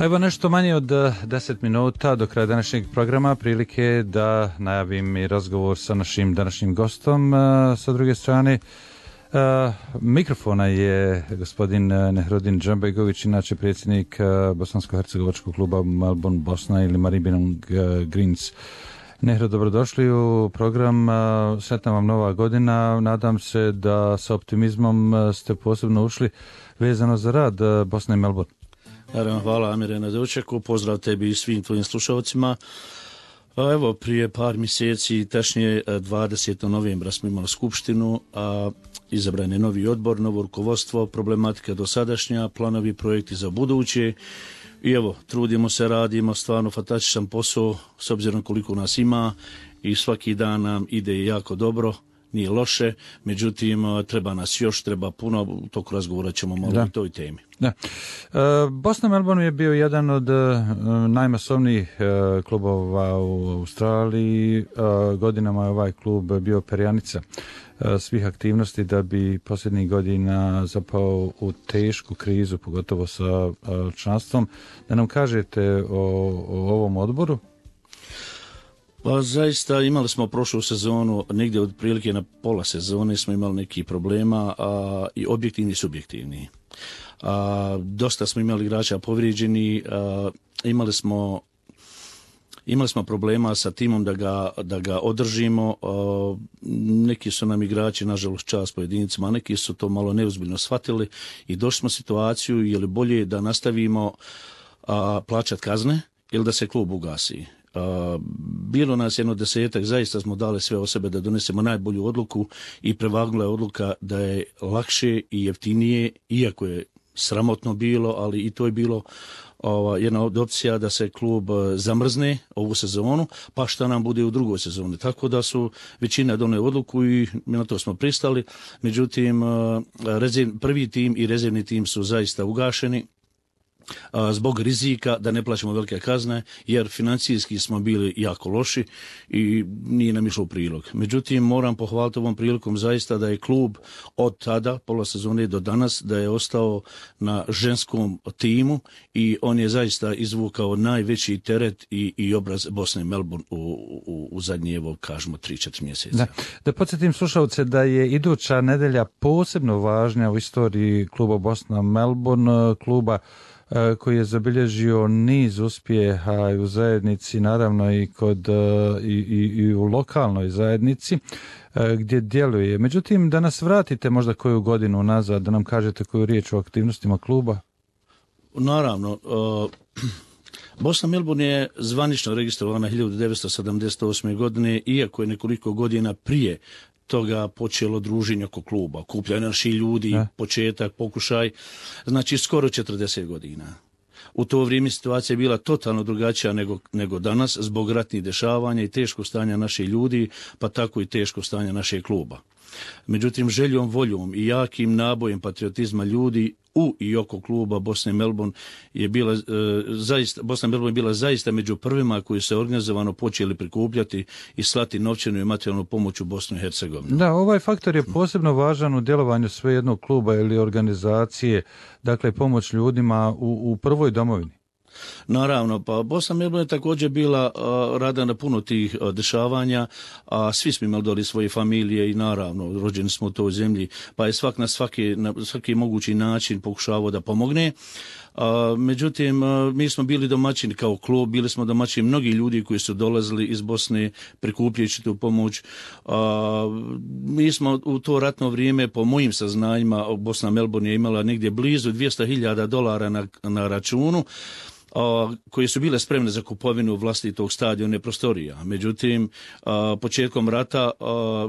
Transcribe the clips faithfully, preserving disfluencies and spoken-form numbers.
Evo nešto manje od deset minuta do kraja današnjeg programa, prilike da najavim i razgovor sa našim današnjim gostom. Sa druge strane mikrofona je gospodin Nehrudin Džambegović, inače predsjednik bosansko-hercegovačkog kluba Melbourne Bosna ili Maribyrnong Greens. Nehru, dobrodošli u program. Sretna vam nova godina. Nadam se da sa optimizmom ste posebno ušli vezano za rad Bosne i Melbourne. Naravno, hvala Amire na dočeku, pozdrav tebi i svim tvojim slušalcima. Evo, prije par mjeseci, tačnije dvadesetog novembra smo imali skupštinu, a izabran je novi odbor, novo rukovodstvo, problematika dosadašnja, planovi, projekti za buduće. I evo, trudimo se, radimo stvarno fantastičan posao s obzirom koliko nas ima i svaki dan nam ide jako dobro. Nije loše, međutim treba nas još, treba puno, u toku razgovora ćemo malo da. o toj temi. Da. E, Bosna Melbourne je bio jedan od e, najmasovnijih e, klubova u Australiji. E, godinama je ovaj klub bio perjanica e, svih aktivnosti da bi posljednjih godina zapao u tešku krizu, pogotovo sa e, članstvom. Da nam kažete o, o ovom odboru? Pa zaista imali smo prošlu sezonu, negdje otprilike na pola sezone smo imali nekih problema, a, i objektivni i subjektivni. A, dosta smo imali igrača povrijeđeni, a, imali smo imali smo problema sa timom da ga, da ga održimo. A, neki su nam igrači, nažalost, čast pojedincima, a neki su to malo neozbiljno shvatili i došli smo u situaciju je li bolje da nastavimo a, plaćati kazne ili da se klub ugasi. Uh, bilo nas jedno desetak, zaista smo dali sve o sebe da donesemo najbolju odluku i prevagnula je odluka da je lakše i jeftinije, iako je sramotno bilo, ali i to je bilo uh, jedna od opcija da se klub uh, zamrzne ovu sezonu, pa šta nam bude u drugoj sezoni. Tako da su većina donijeli odluku i na to smo pristali. Međutim, uh, rezerv, prvi tim i rezervni tim su zaista ugašeni zbog rizika da ne plaćamo velike kazne, jer financijski smo bili jako loši i nije nam išlo u prilog. Međutim, moram pohvaliti ovom prilikom zaista da je klub od tada, pola sezone do danas, da je ostao na ženskom timu i on je zaista izvukao najveći teret i, i obraz Bosne i Melbourne u, u, u zadnje, evo, kažemo, tri četiri mjeseca. Da, da podsjetim slušalce da je iduća nedelja posebno važna u istoriji kluba Bosna Melbourne, kluba koji je zabilježio niz uspjeha i u zajednici, naravno i kod i, i, i u lokalnoj zajednici gdje djeluje. Međutim, da nas vratite možda koju godinu nazad, da nam kažete koju riječ o aktivnostima kluba. Naravno, uh, Bosna Melbourne je zvanično registrovana hiljadu devetsto sedamdeset osme. godine, iako je nekoliko godina prije toga počelo druženje oko kluba, okupljanje naših ljudi, ja. početak, pokušaj, znači skoro četrdeset godina. U to vrijeme situacija je bila totalno drugačija nego, nego danas, zbog ratnih dešavanja i teškog stanja naših ljudi, pa tako i teškog stanja našeg kluba. Međutim, željom, voljom i jakim nabojem patriotizma ljudi u i oko kluba Bosne i Melbourne je bila, e, zaista, Bosna i Melbourne je bila zaista među prvima koji se organizovano počeli prikupljati i slati novčanu i materijalnu pomoć u Bosnu i Hercegovinu. Da, ovaj faktor je posebno važan u djelovanju sve jednog kluba ili organizacije, dakle pomoć ljudima u, u prvoj domovini. Naravno, pa Bosna i Melbourne je također bila uh, rada na puno tih uh, dešavanja, a svi smo imali doli svoje familije i naravno rođeni smo u toj zemlji, pa je svak na svaki, na svaki mogući način pokušavao da pomogne. Uh, međutim, uh, mi smo bili domaćini kao klub, bili smo domaćini mnogi ljudi koji su dolazili iz Bosne prikupljajući tu pomoć. Uh, mi smo u to ratno vrijeme, po mojim saznanjima, Bosna i Melbourne je imala negdje blizu dvjesto hiljada dolara na, na računu, a, koje su bile spremne za kupovinu vlastitog stadiona i prostorija. Međutim, a, početkom rata a,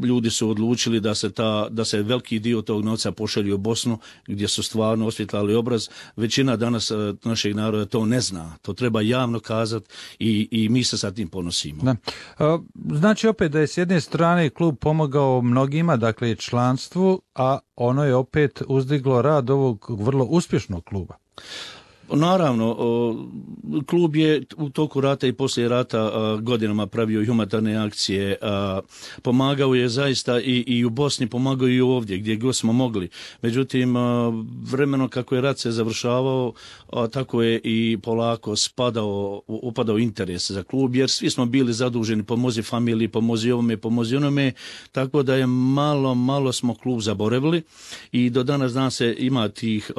ljudi su odlučili da se, ta, da se veliki dio tog novca pošalju u Bosnu, gdje su stvarno osvjetlali obraz. Većina danas a, našeg naroda to ne zna. To treba javno kazati i, i mi se sa tim ponosimo. Da. A, znači opet da je s jedne strane klub pomogao mnogima, dakle članstvu, a ono je opet uzdiglo rad ovog vrlo uspješnog kluba. Naravno, klub je u toku rata i poslije rata godinama pravio humanitarne akcije, pomagao je zaista i, i u Bosni, pomagao i ovdje gdje god smo mogli. Međutim, vremeno kako je rat se završavao, tako je i polako spadao, upadao interes za klub, jer svi smo bili zaduženi, pomozi familiji, pomozi ovome, pomozi onome, tako da je malo, malo smo klub zaboravili i do danas dan se ima tih,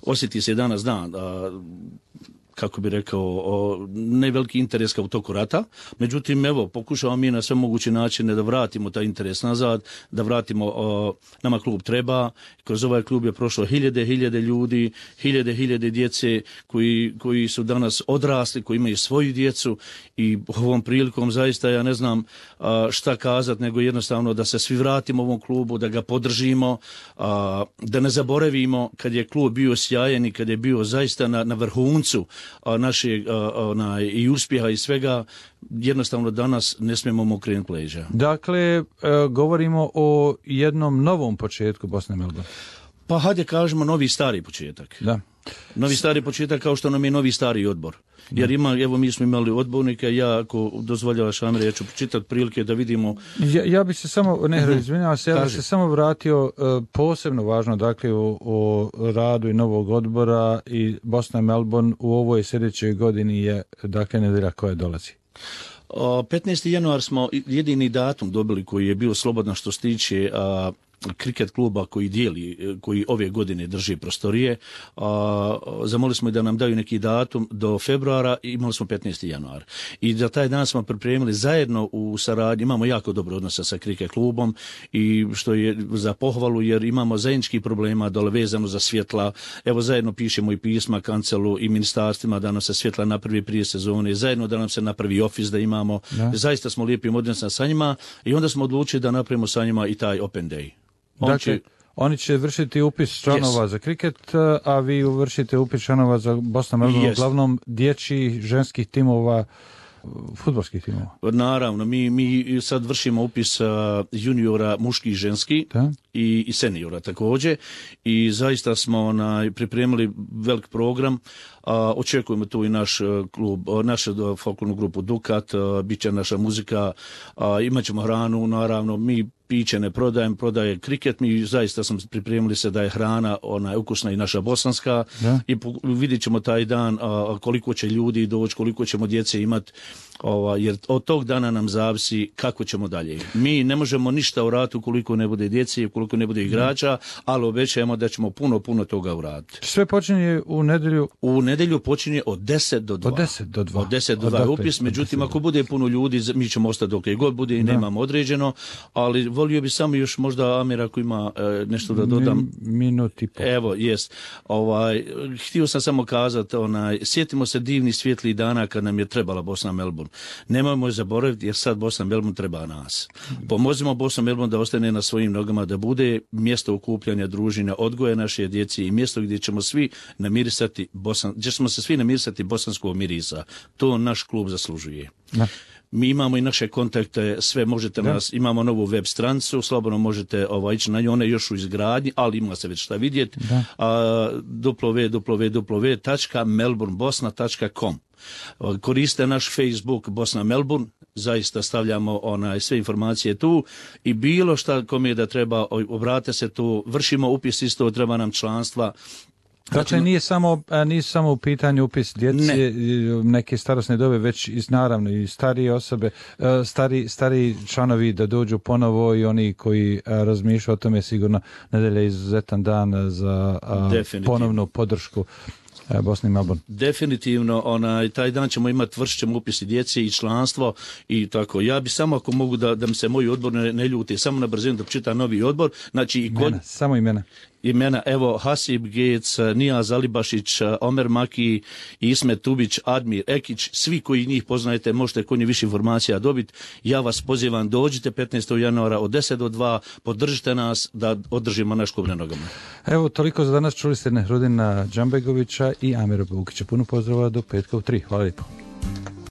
osjeti se danas dan, kako bi rekao, ne veliki interes kao u toku rata. Međutim, evo, pokušavamo mi na sve moguće načine da vratimo taj interes nazad, da vratimo, o, nama klub treba. Kroz ovaj klub je prošlo hiljade, hiljade ljudi, hiljade, hiljade djece koji, koji su danas odrasli, koji imaju svoju djecu i ovom prilikom zaista ja ne znam a, šta kazati, nego jednostavno da se svi vratimo ovom klubu, da ga podržimo, a, da ne zaboravimo kad je klub bio sjajan i kad je bio zaista na, na vrhuncu našeg onaj, i uspjeha i svega, jednostavno danas ne smijemo mu okrenuti leđa. Dakle, govorimo o jednom novom početku Bosne i Melbourne. Pa hajde kažemo novi stari početak. Da. Novi stari početak kao što nam je novi stari odbor. Jer ima, evo mi smo imali odbornike, ja ako dozvoljavaš Amir, ja ću počitati prilike da vidimo. Ja, ja bi se samo, ne izvinjavam se, ja bi se samo vratio uh, posebno važno, dakle, o, o radu i novog odbora i Bosna i Melbourne u ovoj sljedećoj godini je, dakle, nedjelja koja dolazi. petnaesti januar smo jedini datum dobili koji je bio slobodno što se tiče a, kriket kluba koji dijeli, koji ove godine drži prostorije. A, zamolili smo da nam daju neki datum do februara i imali smo petnaesti januar. I za taj dan smo pripremili zajedno u saradnji, imamo jako dobro odnose sa kriket klubom i što je za pohvalu jer imamo zajedničkih problema dole vezano za svjetla. Evo zajedno pišemo i pisma kancelu i ministarstvima da nam se svjetla napravi prije sezone, zajedno da nam se napravi ofis da imamo. Da. Zaista smo lijepim odnosima sa njima i onda smo odlučili da napravimo sa njima i taj open day. On dakle, će... oni će vršiti upis članova yes. za kriket, a vi vršite upis članova za Bosna i Melbourne, yes. uglavnom dječjih, ženskih timova, fudbalskih timova. Naravno, mi, mi sad vršimo upis uh, juniora muški i ženski i, i seniora također i zaista smo onaj, pripremili velik program. A, očekujemo tu i naš klub, našu folklornu grupu Dukat, a, bit će naša muzika, a, imat ćemo hranu, naravno, mi piće ne prodajem, prodaje kriket, mi zaista smo pripremili se da je hrana ona ukusna i naša bosanska da. I po, vidjet ćemo taj dan a, koliko će ljudi doći, koliko ćemo djece imati, jer od tog dana nam zavisi kako ćemo dalje. Mi ne možemo ništa uraditi ukoliko ne bude djece, ukoliko ne bude igrača, ali obećajemo da ćemo puno, puno toga uraditi. Sve počinje u nedjelju? U nedjelju počinje od deset do dva. Od deset do dva. Od deset do dva je upis, međutim ako bude puno ljudi, mi ćemo ostati dok je god bude i da. Nemamo određeno, ali volio bi samo još možda Amir ako ima e, nešto da dodam. Minut i pol. Evo, jest. Ovaj, htio sam samo kazati, onaj, sjetimo se divnih svjetlih dana kad nam je trebala Bosna i Melbourne. Nemojmo je zaboraviti jer sad Bosna i Melbourne treba nas. Pomozimo Bosna i Melbourne da ostane na svojim nogama, da bude mjesto okupljanja, druženja, odgoja naše djece i mjesto gdje ćemo svi namirisati Bosan, gdje ćemo se svi namirisati bosanskog mirisa. To naš klub zaslužuje. Da. Mi imamo i naše kontakte, sve možete da. Nas, imamo novu web stranicu, slobodno možete ovaj, ići na nju, ona je još u izgradnji, ali ima se već šta vidjeti, w w w tačka melbourne bosna tačka com. Koriste naš Facebook Bosna Melbourne, zaista stavljamo onaj, sve informacije tu i bilo šta kome da treba, obrate se tu, vršimo upis isto, treba nam članstva. Dakle, nije samo, nije samo u pitanju upis djece, ne. Neke starosne dobe, već i naravno i starije osobe, stari, stari članovi da dođu ponovo i oni koji razmišljaju o tome, sigurno nedjelja je izuzetan dan za ponovnu podršku Bosni i Melbourne. Definitivno, onaj, taj dan ćemo imati, vršit ćemo upisi djece i članstvo i tako. Ja bi samo ako mogu da, da mi se moji odbor ne, ne ljuti, samo na brzinu da pročitam novi odbor. Znači, i kod... imena, samo imena. Imena, evo, Hasib Gec, Nijaz Alibašić, Omer Maki, Ismet Tubić, Admir Ekić, svi koji njih poznajete, možete kod njih više informacija dobiti. Ja vas pozivam, dođite petnaestog januara od deset do dva, podržite nas da održimo naš klub na nogama. Evo, toliko za danas. Čuli ste Nehrudina Džambegovića i Amira Bukića. Puno pozdrava do petka u tri. Hvala lijepo.